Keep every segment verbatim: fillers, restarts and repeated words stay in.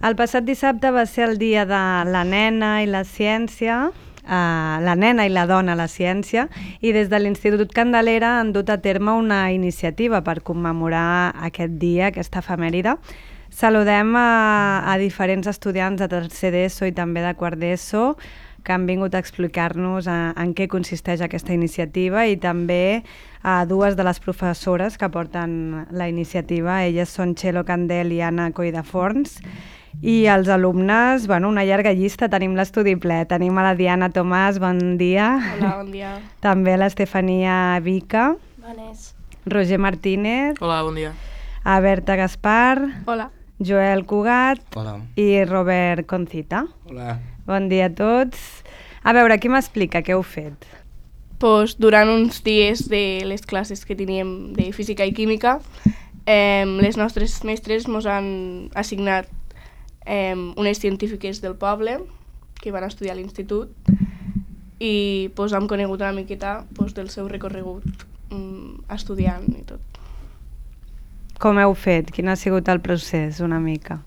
El passat dissabte va ser el dia de la nena i la ciència, Uh, la nena i la dona a la ciència, i des de l'Institut Candelera han dut a terme una iniciativa per commemorar aquest dia, aquesta efemèride. Saludem a, a diferents estudiants de tercer d'ESO i també de quart d'ESO que han vingut a explicar-nos a, en què consisteix aquesta iniciativa, i també a dues de les professores que porten la iniciativa. Elles són Txelo Candel i Anna Coideforns. I els alumnes, bueno, una llarga llista, tenim l'estudi ple. Tenim a la Diana Tomàs, bon dia. Hola, bon dia. També l'Estefania Vica. Bones. Roger Martínez. Hola, bon dia. A Berta Gaspar. Hola. Joel Cugat. Hola. I Robert Concita. Hola. Bon dia a tots. A veure, qui m'explica què heu fet? Pues, durant uns dies de les classes que teníem de física i química, eh, les nostres mestres ens han assignat eh, unes científiques del poble que van estudiar a l'institut, i pues, hem conegut una miqueta pues, del seu recorregut mm, estudiant i tot. Com heu fet? Quin ha sigut el procés, una mica?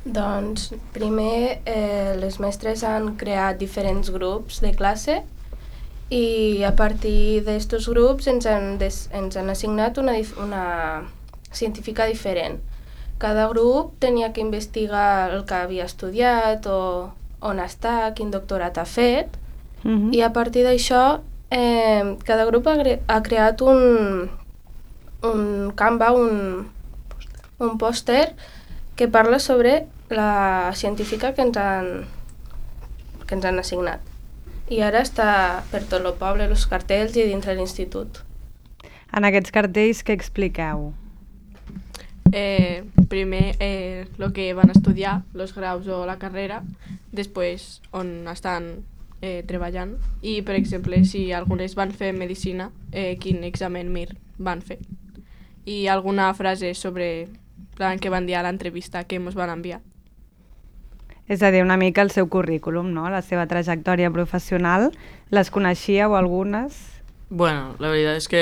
Doncs primer eh, les mestres han creat diferents grups de classe, i a partir d'estos grups ens han, des, ens han assignat una, una científica diferent. Cada grup tenia que investigar el que havia estudiat o on està, quin doctorat ha fet, uh-huh. i a partir d'això eh, cada grup ha, ha creat un, un Canva, un, un pòster que parla sobre la científica que ens han, que ens han assignat. I ara està per tot el poble, els cartells i dintre l'institut. En aquests cartells què expliqueu? Eh, primer eh, el que van estudiar, els graus o la carrera, després on estan eh, treballant, i per exemple si algunes van fer medicina, eh, quin examen M I R van fer, i alguna frase sobre plan que van dir a l'entrevista que ens van enviar. És a dir, una mica el seu currículum, no? La seva trajectòria professional. Les coneixíeu algunes? Bueno, la veritat és que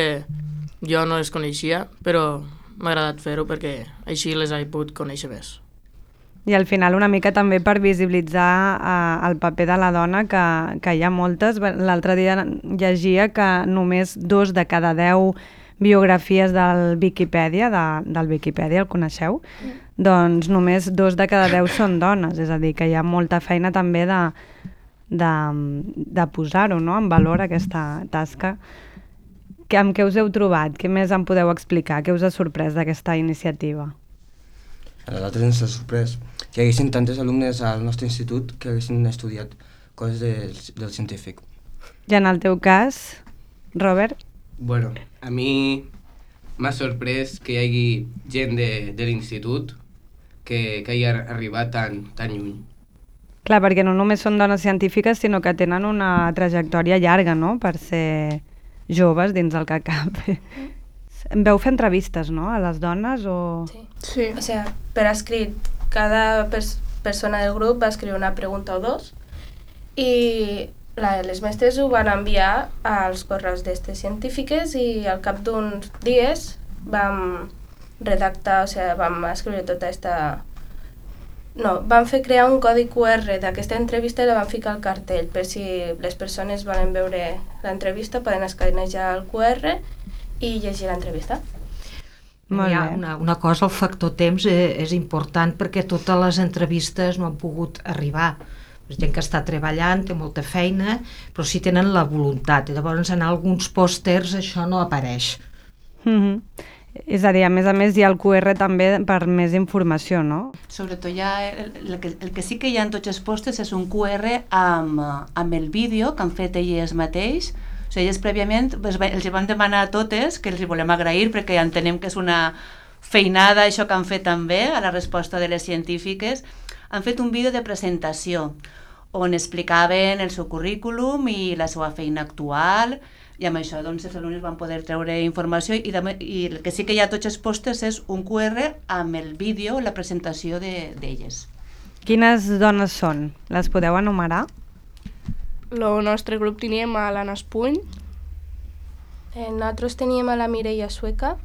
jo no les coneixia, però m'ha agradat fer-ho perquè així les he pogut conèixer més. I al final una mica també per visibilitzar eh, el paper de la dona, que, que hi ha moltes. L'altre dia llegia que només dos de cada deu biografies del Viquipèdia, de, del Viquipèdia, el coneixeu? Mm. Doncs només dos de cada deu són dones, és a dir, que hi ha molta feina també de, de, de posar-ho, no?, en valor, aquesta tasca. Que, amb què us heu trobat? Què més em podeu explicar? Què us ha sorprès d'aquesta iniciativa? A nosaltres ens ha sorprès que hi haguessin tantes alumnes al nostre institut que haguessin estudiat coses de, del científic. I en el teu cas, Robert? Bueno, a mi m'ha sorprès que hi hagi gent de, de l'institut que, que hagi arribat tan, tan lluny. Clar, perquè no només són dones científiques, sinó que tenen una trajectòria llarga, no?, per ser joves dins del que cap. Veu fer entrevistes, no?, a les dones o...? Sí. Sí. O sigui, per escrit, cada pers persona del grup va escriure una pregunta o dos, i la, les mestres ho van enviar als correus d'estes científiques, i al cap d'uns dies vam redactar, o sigui, vam escriure tota aquesta... No, vam fer crear un codi Q R d'aquesta entrevista i la vam ficar al cartell, per si les persones volen veure l'entrevista poden escanejar el Q R i llegir l'entrevista. Molt Hi ha bé. una, una cosa, el factor temps és, és important perquè totes les entrevistes no han pogut arribar. La gent que està treballant té molta feina, però sí tenen la voluntat. I llavors en alguns pòsters això no apareix. Mm-hmm. És a dir, a més a més hi ha el Q R també per més informació, no? Sobretot hi ha el, el, que, el que sí que hi ha en tots els pòsters és un Q R amb, amb el vídeo que han fet elles mateix. O sigui, elles prèviament els vam demanar a totes que els hi volem agrair perquè ja entenem que és una feinada això que han fet també a la resposta de les científiques. Han fet un vídeo de presentació on explicaven el seu currículum i la seva feina actual, i amb això doncs, els alumnes van poder treure informació, i, de, i el que sí que hi ha a tots els pòsters és un Q R amb el vídeo, la presentació d'elles. De, Quines dones són? Les podeu enumerar? El nostre grup teníem a l'Anna Espuny. Eh, nosaltres teníem a la Mireia Sueca.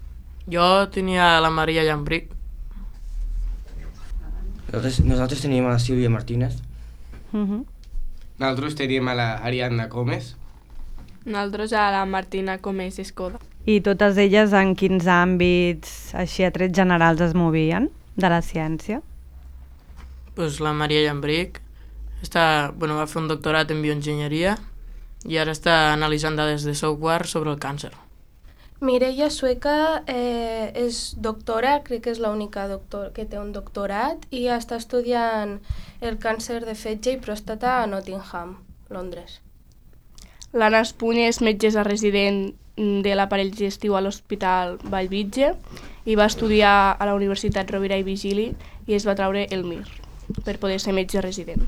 Jo tenia la Maria Llambric. Nosaltres, nosaltres teníem a la Sílvia Martínez. Uh -huh. Nosaltres teníem a la Ariadna Gómez. Nosaltres a la Martina Comés Escoda. I totes elles en quins àmbits, així a trets generals, es movien de la ciència? Pues la Maria Llambric està, bueno, va fer un doctorat en bioenginyeria i ara està analitzant dades de software sobre el càncer. Mireia Sueca eh, és doctora, crec que és l'única doctor que té un doctorat, i està estudiant el càncer de fetge i pròstata a Nottingham, Londres. L'Anna Espunya és metgessa resident de l'aparell digestiu a l'Hospital Bellvitge i va estudiar a la Universitat Rovira i Vigili i es va treure el M I R per poder ser metge resident.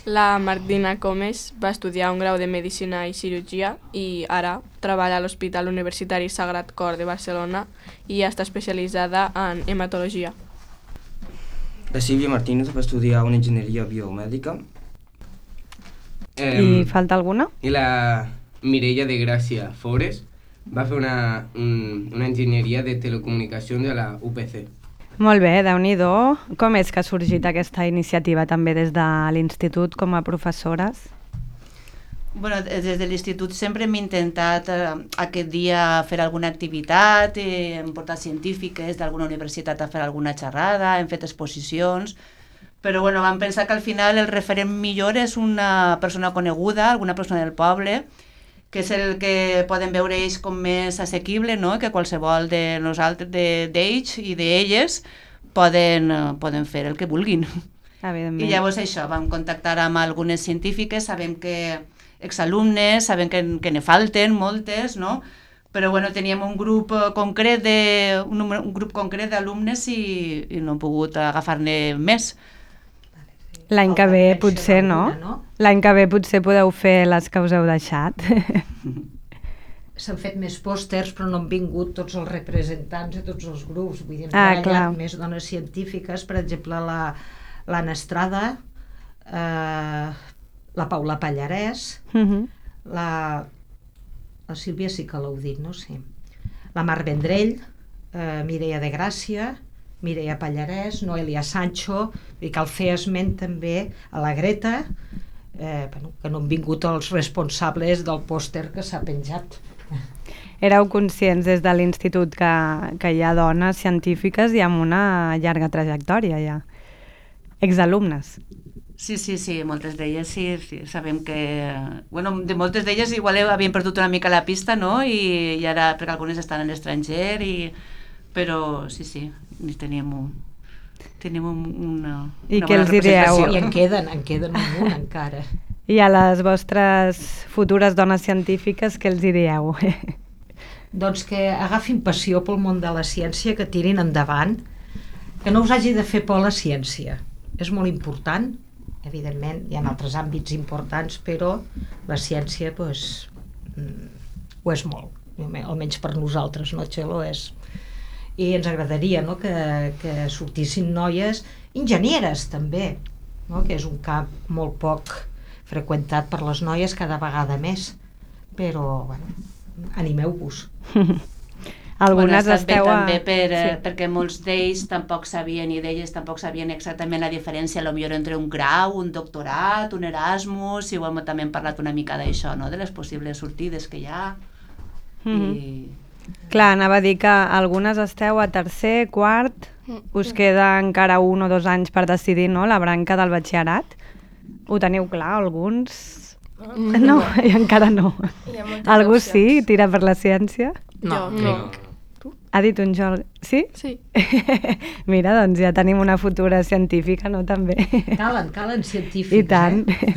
La Martina Comes va estudiar un grau de Medicina i Cirurgia i ara treballa a l'Hospital Universitari Sagrat Cor de Barcelona i està especialitzada en hematologia. La Sílvia Martínez va estudiar una enginyeria biomèdica. Eh, I falta alguna? I la Mireia de Gràcia Fores va fer una, un, una enginyeria de telecomunicacions a la U P C. Molt bé, Déu-n'hi-do. Com és que ha sorgit aquesta iniciativa també des de l'institut com a professores? Bueno, des de l'institut sempre hem intentat eh, aquest dia fer alguna activitat, eh, hem portat científiques d'alguna universitat a fer alguna xerrada, hem fet exposicions, però bueno, vam pensar que al final el referent millor és una persona coneguda, alguna persona del poble, que és el que poden veure ells com més assequible, no? Que qualsevol de nosaltres, d'ells i d'elles poden, poden fer el que vulguin. I llavors això, vam contactar amb algunes científiques, sabem que exalumnes, sabem que, que ne falten moltes, no? Però bueno, teníem un grup concret de, un, un grup concret d'alumnes i, i no hem pogut agafar-ne més. L'any que ve potser no? L'any que ve potser podeu fer les que us heu deixat. S'han fet més pòsters però no han vingut tots els representants de tots els grups. Vull dir, ah, hi ha més dones científiques, per exemple la l'Anna Estrada, eh, la Paula Pallarès, uh -huh. la, la Sílvia sí que l'heu dit, no? Sí. La Mar Vendrell, eh, Mireia de Gràcia, Mireia Pallarès, Noelia Sancho, i cal fer esment també a la Greta, eh, bueno, que no han vingut els responsables del pòster que s'ha penjat. Éreu conscients des de l'institut que, que hi ha dones científiques i amb una llarga trajectòria ja? Exalumnes. Sí, sí, sí, moltes d'elles sí, sí, sabem que... Bueno, de moltes d'elles igual havien perdut una mica la pista, no? I, i ara, perquè algunes estan a l'estranger, i... però sí, sí, teníem un... tenim un, una, I una què els diríeu? I en queden, en queden un munt encara. I a les vostres futures dones científiques, què els diríeu? Doncs que agafin passió pel món de la ciència, que tirin endavant, que no us hagi de fer por la ciència. És molt important, evidentment, hi ha altres àmbits importants, però la ciència, doncs, ho és molt, almenys per nosaltres, no, Txelo? És... I ens agradaria, no?, que, que sortissin noies enginyeres, també, no?, que és un camp molt poc freqüentat per les noies, cada vegada més, però, bueno, animeu-vos. Algunes bueno, esteu a... també per, sí. perquè molts d'ells tampoc sabien, i d'elles tampoc sabien exactament la diferència, potser entre un grau, un doctorat, un Erasmus, i bueno, també hem parlat una mica d'això, no?, de les possibles sortides que hi ha. Mm-hmm. I... Clar, anava a dir que algunes esteu a tercer, quart, us queda encara un o dos anys per decidir, no?, la branca del batxillerat. Ho teniu clar, alguns? No, no i encara no. Algú opcions. sí, tira per la ciència? No, Jo, no. Tu? Ha dit un Jordi. Sí? Sí. Mira, doncs ja tenim una futura científica, no, també? Calen, calen científics. I tant. Eh?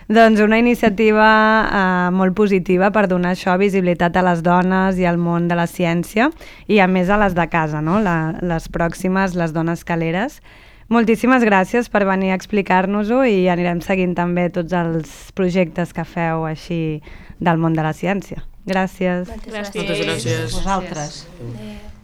Doncs una iniciativa eh, molt positiva per donar això, visibilitat a les dones i al món de la ciència, i a més a les de casa, no?, la, les pròximes, les dones caleres. Moltíssimes gràcies per venir a explicar-nos-ho, i anirem seguint també tots els projectes que feu així del món de la ciència. Gràcies. Moltes Gràcies. Moltes gràcies. Vosaltres. Adéu.